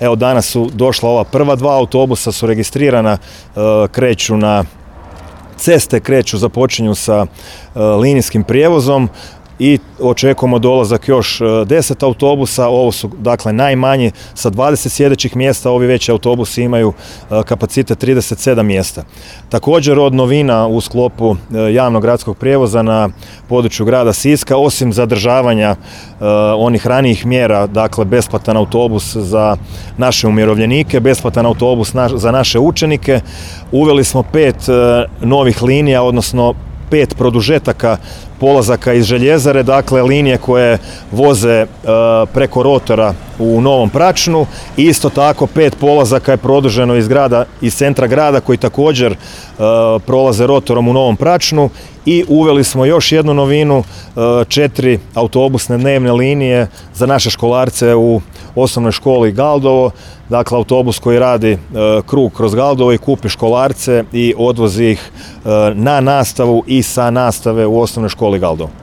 Evo danas su došla ova prva 2 autobusa, su registrirana, kreću na ceste, započinju sa linijskim prijevozom i očekujemo dolazak još 10 autobusa. Ovo su dakle najmanji sa 20 sjedećih mjesta, ovi veći autobusi imaju kapacitet 37 mjesta. Također od novina u sklopu javnog gradskog prijevoza na području grada Siska, osim zadržavanja onih ranijih mjera, dakle besplatan autobus za naše umirovljenike, besplatan autobus za naše učenike, uveli smo 5 novih linija, odnosno 5 produžetaka polazaka iz željezare, dakle linije koje voze preko rotora u Novom Pračnu i isto tako 5 polazaka je produženo iz centra grada koji također prolaze rotorom u Novom Pračnu i uveli smo još jednu novinu, 4 autobusne dnevne linije za naše školarce u osnovnoj školi Galdovo, dakle autobus koji radi krug kroz Galdovo i kupi školarce i odvozi ih na nastavu i sa nastave u osnovnoj školi Galdovo.